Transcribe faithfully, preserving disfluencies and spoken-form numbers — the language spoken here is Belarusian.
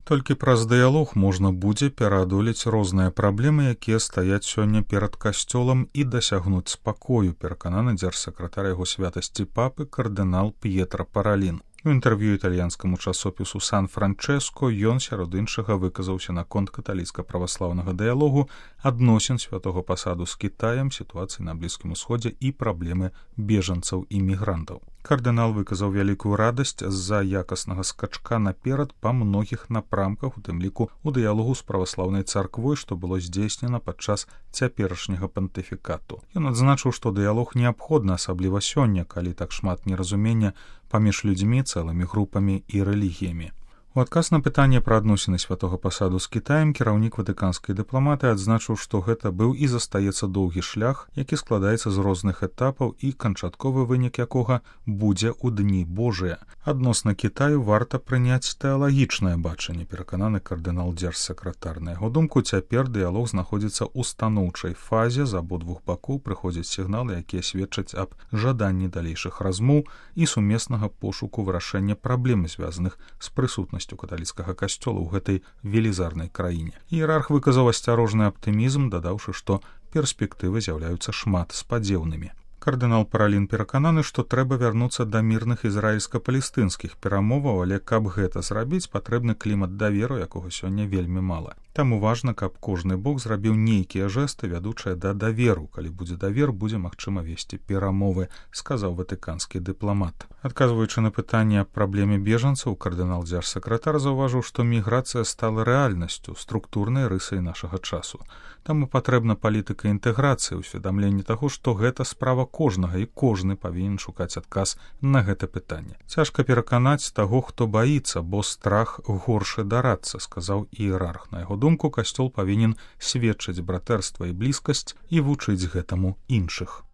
Толькі праз дыялог можна будзе пераадолець розныя праблемы, якія стаяць сёння перад касцёлам і дасягнуць спакою, перакананы дзяржсакратар яго святасці папы кардынал П'етра Паралін. У інтэрв'ю італьянскаму часопісу «Сан-Франчэско» ён, сярод іншага, выказаўся наконт каталіцка-праваслаўнага дыялогу, адносін святога пасаду з Кітаем, сітуацыі на Блізкім Усходзе і праблемы бежанцаў і мігрантаў. Кардынал выказаў вялікую радасць з-за якаснага скачка наперад па многіх напрамках, у тым ліку у дыялогу з праваслаўнай царквой, што было здзейснена падчас цяперашняга пантыфікату. Ён адзначыў, што дыялог неабходны, асабліва сёння, калі так шмат неразумення паміж людзьмі, цэлымі групамі і рэлігіямі. У адказ на пытанне пра адносіны святога пасаду з Кітаем кіраўнік ватыканскай дыпламатыі адзначыў, што гэта быў і застаецца доўгі шлях, які складаецца з розных этапаў і канчатковы вынік якога будзе ў дні Божыя. Адносна Кітаю варта прыняць тэалагічнае бачанне, перакананы кардынал дзяржсакратар. На яго думку, цяпер дыялог знаходзіцца ў станоўчай фазе, з абодвух бакоў прыходзяць сігналы, якія сведчаць аб жаданні далейшых размоў і сумеснага пошуку вырашэння праблем, звязаных з прысутнасцю каталіцкага касцёла ў гэтай велізарнай краіне. Іерарх выказаў асцярожны аптымізм, дадаўшы, што перспектывы з'яўляюцца шмат спадзеўнымі. Кардынал Паралін перакананы, што трэба вярнуцца да мірных ізраільска-палестынскіх перамоваў, але каб гэта зрабіць, патрэбны клімат даверу, якога сёння вельмі мала. Таму важна, каб кожны бок зрабіў нейкія жэсты, вядучыя да даверу. Калі будзе давер, будзе магчыма весці перамовы, сказаў ватыканскі дыпламат. Адказваючы на пытанне аб праблеме бежанцаў, кардынал дзяржсакратар заўважыў, што міграцыя стала рэальнасцю, структурнай рысай нашага часу. Таму патрэбна палітыка інтэграцыі, усведамленне таго, што гэта справа кожнага і кожны павінен шукаць адказ на гэта пытанне. Цяжка пераканаць таго, хто баіцца, бо страх горшы дарацца, сказаў іерарх. На яго думку, касцёл павінен сведчыць братэрства і блізкасць і вучыць гэтаму іншых.